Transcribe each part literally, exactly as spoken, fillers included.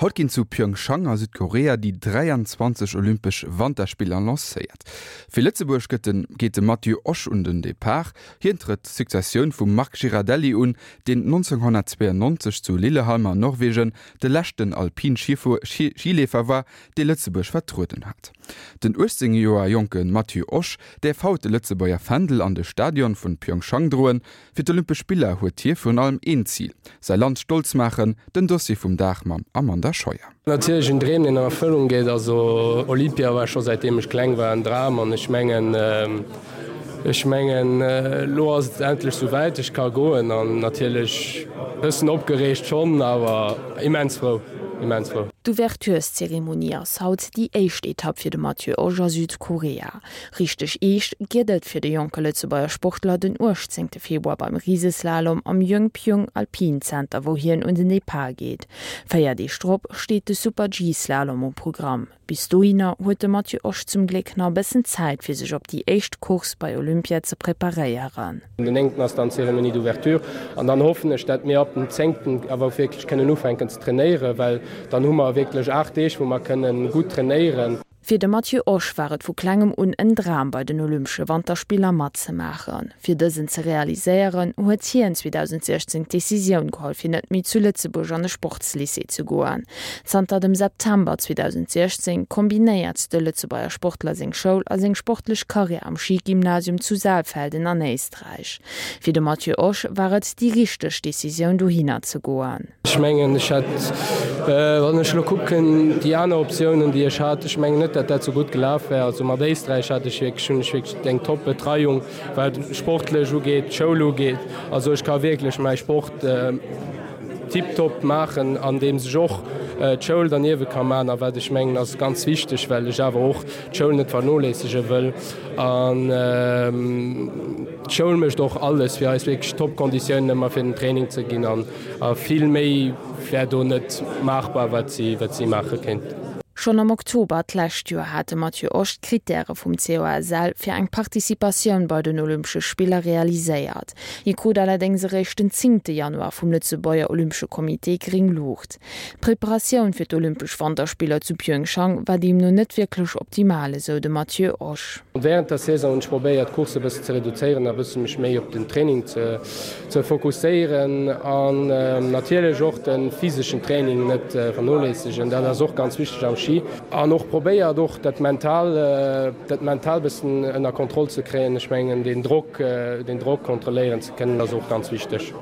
Haut ginn zu Pyeongchang a Südkorea déi dräianzwanzeg Olympesch Wanterspiller lancéiert. Fir Lëtzebuerg gëtt de geet de Matthieu Osch un den Depart. Hien trëtt d'Successioun vum Marc Girardelli un, deen nonzénghonnertzweeënnonzeg zu Lillehammer an Norwegen de leschten Alpin-Schileefer war, dee Lëtzebuerg vertrueden hat. Den uechtzéng Joer jonke Matthieu Osch däerf haut de Lëtzebuerger Fändel an de Stadion vun Pyeongchang droen. Fir d'Olympesch Spiller huet hie virun allem een Zil, säi Land stolz maachen. Den Dossier vum Dag mam Amanda Scheuer. Natierlech en Dream, deen an Erfëllung geet. Also Olympia war scho säitdeem ech kleng war en Dram an ech mengen, ech mengen elo ass et endlech sou wäit, ech ka goen an natierlech bëssen opgereegt schonn, awer immens frou, immens frou. D'Ouvertureszeremonie ass haut déi éischt Etapp fir de Matthieu Osch a Südkorea. Richteg eescht gëtt et fir de jonke Lëtzebuerger Sportler den uechtzéngte Februar beim Riseslalom am Yongpyong Alpine Center, wou hien un den Depart geet. Véier Deeg drop steet de Super-G-Slalom um Programm. Bis dohinner huet de Matthieu Osch zum Gléck nach e bëssen Zäit, fir sech op déi éischt Course bei Olympia ze preparéieren. Den néngten ass dann d'Cérémonie d'ouverture an dann hoffen ech, dat mir ab dem zéngten awer och wierklech kënnen ufänken ze trainéieren, well dann hu mer wierklech aacht Deeg, wou mer kënnen gutt trainéieren. Fir de Matthieu Osch war et vu klengem un en Dram bei den Olympesche Wanterspiller matzemaachen. Fir dësen ze realiséieren, huet hien zweedausendsiechzéng d'Decisioun geholl fir net méi zu Lëtzebuerg an de Sportslycée ze goen. Zanter dem September zweedausendsiechzéng kombinéiert de Lëtzebuerger Sportler seng Schoul a seng sportlech Karriär am Skigymnasium zu Saalfelden an Éisträich. Fir de Matthieu Osch war et déi richteg Decisioun dohinner ze goen. Ech mengen, ech hätt, wann ech elo kucken, déi aner Optiounen, déi ech hat, ech mengen net, datt dat esou gutt gelaf wär. Also mat Éisträich hat ech wierklech, hunn ech wierklech eng top Betreiung, wat sportlech ugeet, d'Schoul ugeet. Also ech ka wierklech mäi Sport tiptop maachen, andeems ech och d'Schoul derniewe ka maachen. A wat ech mengen ass ganz wichteg, well ech awer och d'Schoul net vernoléissege wëll. An d'Schoul mécht och alles, fir eis wierklech top Konditiounen ëmmer fir den Training ze ginn. An vill méi wär do net maachbar, wat si, wat si maache kéinten. Schonn am Oktober d'lescht Joer hat de Matthieu Osch d'Krittäre vum C O S L fir eng Participatioun bei den Olympesche Spiller realiséiert. Hie krut allerdéngs eréischt den zéngte Januar vum Lëtzebuerger Olympesche Comité gréng Luucht. D'Preparatioun fir d'Olympesch Wanterspiller zu Pyeongchang war deemno net wierklech optimal, esou de Matthieu Osch. Wärend der Saison hunn ech probéiert d'Course e bëssen ze reduzéieren a bësse mech méi op den Training ze ze fokusséieren an natierlech och de physeschen Training net vernoléissegen. Dat ass och ganz wichteg am Ski. An och probéiert och dat mental dat mental bëssen ënner Kontroll ze kréien. Ech mengen deen Drock deen Drock kontrolléieren ze kënnen ass och ganz wichteg.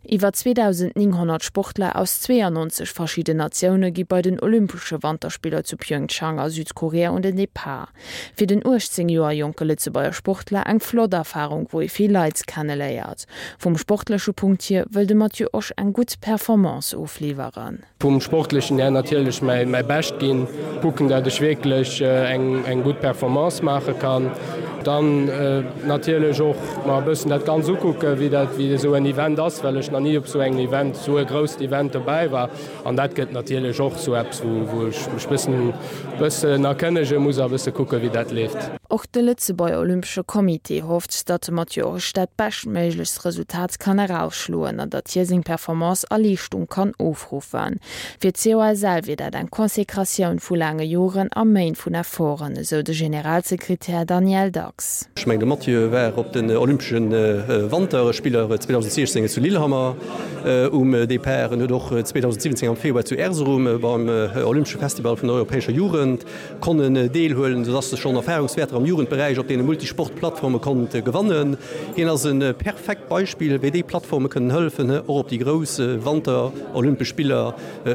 Iwwer zweedausendnénghonnert Sportler aus zweeënnonzeg verschidden Natioune gi bei den Olympesche Wanterspiller zu Pyeongchang a Südkorea un den Depart. Fir den uechtzéng Joer jonke Lëtzebuerger Sportler eng flott Erfarung, wou ee vill Leit kenneléiert. Vum sportleche Punkt hier wëll de Matthieu Osch eng gutt Performance ofliwweren. Vum sportlechen här natierlech mäi Bescht ginn, kucken dat ech wierklech eng gutt Performance maache kann. Dann natierlech och mer e bëssen dat Ganz ukucken, wéi dat, wéi esou en Event ass, well ech nach ni op esou engem Event, esou e grousst Event dobäi war. An dat gëtt natierlech och esou eppes, wou, wou ech mech bëssen, bëssen erkënnege muss a bësse kucken, wéi dat leeft. Och de Lëtzebuerger Olympesche Comité hofft, datt de Matthieu Osch dat beschtméiglechst Resultat kann erausschloen an datt hie seng Performance a Leeschtung kann ofruffen. Fir d'C O S L wier dat eng Konsekratioun vu laange Joren a Méint vun Efforten, esou de Generalsekretär Daniel Dax. Ech mengen, de Matthieu war op den Olympesche Wanterspiller zweedausendsiechzéng zu Lillehammer um Depart. En huet och zweedausendsiwwenzéng am Februar zu Erzurum beim Olympesche Festival vun der europäescher Jugend konnen deelhuelen, soudass e schonn Erfahrungswäerter am Jugendberäich op deene Multisport-Plattforme konnt gewannen. Hien ass e perfekt Beispill, wéi déi Plattforme kënnen hëllefen, och op déi grouss Wanter-Olympesch Spiller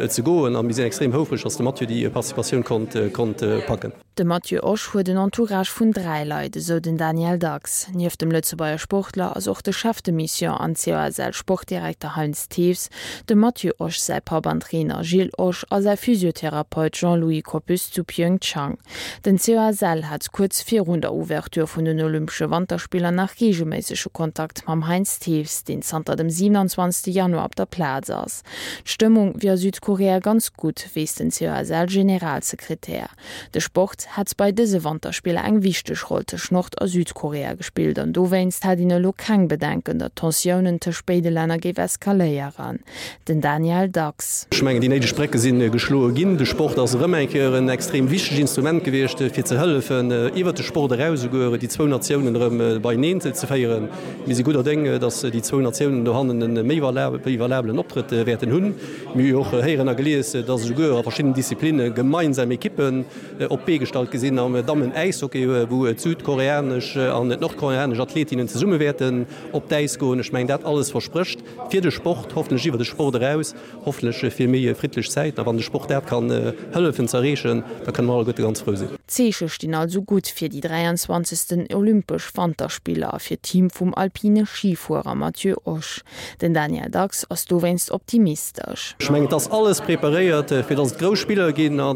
ze goen. A mir sinn extrem houfreg, dass de Matthieu déi Participatioun konnt packen. De Matthieu Osch huet en Entourage vun dräi Leit, esou den Daniel Dax. Nieft dem Lëtzebuerger Sportler ass och de Chef de Mission an C O S L-Sportdirekter Heinz Thews, dem Matthieu Osch säi Papp an Trainer Gilles Osch a säi Physiotherapeut Jean-Louis Koppus zu Pyeongchang. Den C O S L hat kuerz virun der Ouverture vun den Olympesche Wanterspiller nach reegelméissege Kontakt mam Heinz Thews, deen zanter dem siewenundzwanzegste Januar op der Plaz ass. D'Stëmmung wier a Südkorea ganz gutt, weess den C O S L-Generalsekretär. De Sport Sport hätt bei dëse Wanterspiller eng wichteg Roll tëscht Nord a Südkorea gespillt an dowéinst hätt een elo keng Bedenken, datt d'Tensiounen tëscht béide Länner géif eskaléieren. Den Daniel Dax. Ech mengen, déi néideg Brécke si geschloe ginn. De Sport ass erëm eng Kéier en extrem wichtegt Instrument gewiescht, fir ze hëllefen, iwwert de Sport eraus esouguer déi zwou Natiounen erëm beieneen ze féieren. Mir si gudder Déng, datt déi zwou Natiounen dohannen e méi wéi valabelen Optrëtt wäerten hunn. Mir hu jo och héieren a gelies, datt esouguer a verschiddenen Disziplinne gemeinsam Ekippen op d'Bee gestallt gi sinn am Dammen-Äishockey, wou d'südkoreanesch an d'nordkoreanesch Athletinnen zesumme wäerten op d'Äis goen. Ech mengen, dat alles versprécht fir de Sport, hoffentlech iwwer de Sport eraus, hoffentlech fir méi friddlech Zäiten. A wann de Sport dat kann hëllefen ze erreechen, da kënne mer alleguerte ganz frou sinn. D'Zeeche stinn also gutt fir déi dräianzwanzegsten Olympesch Wanterspiller a fir d'Team vum alpine Schifuerer Matthieu Osch. Den Daniel Dax ass dowéinst optimistesch. Ech mengen, et ass alles preparéiert, fir datt et grouss Spiller ginn a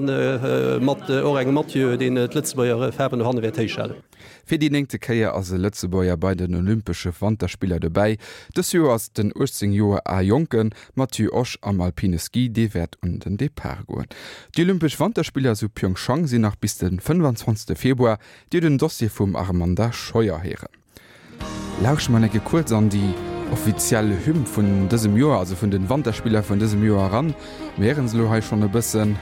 mat och engem Mathieu, deen d'Lëtzebuerger Faarwen dohanne wäert héichhalen. Fir déi néngte Kéier ass e Lëtzebuerger bei den Olympesche Wanterspiller dobäi. Dës Joer ass den uechtzéng Joer al jonke Matthieu Osch am alpine Ski, dee wäert un den Depart goen. Déi Olympesch Wanterspiller zu Pyeongchang sinn nach bis de fënnwanzwanzegste Februar, Dir hutt den Dossier vum Armanda Scheuer héieren. Lauschteren mer enke kuerz an déi offiziell Hymn vun dësem Joer, also vun den Wanterspiller vun dësem Joer eran. Mir héieren se elo hei schonn e bëssen.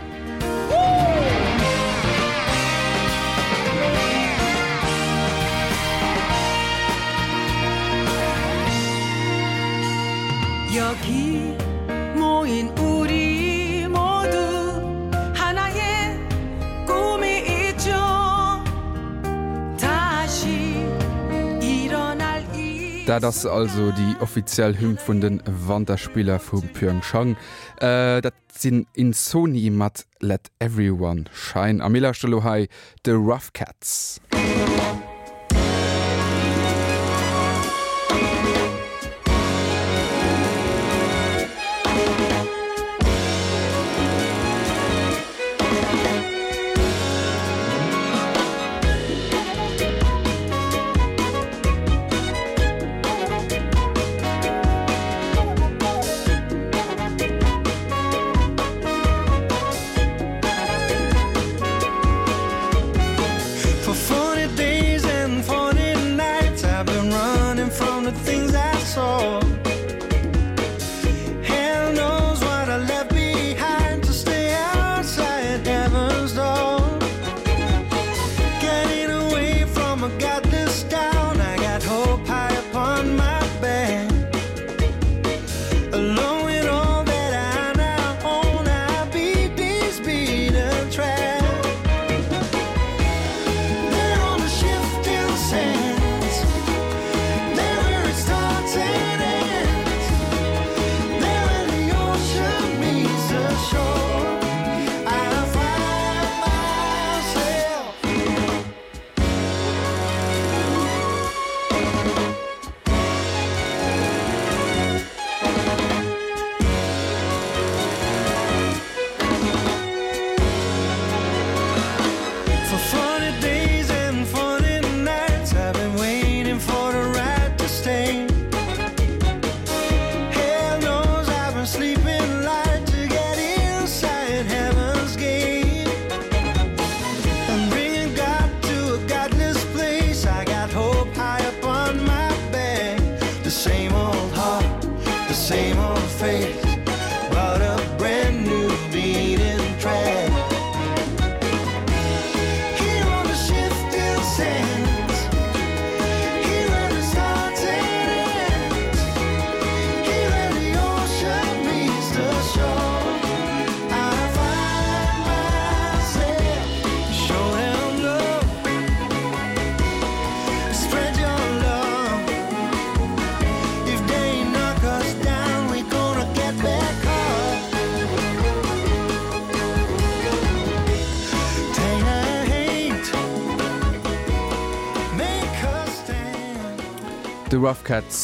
Dat ass also déi offiziell Hymn vun de Wanterspiller vu Pyeongchang. Dat sinn Insoni mat Let Everyone Shine. A mir lauschteren elo hei de Rough Cuts. De Rough Cuts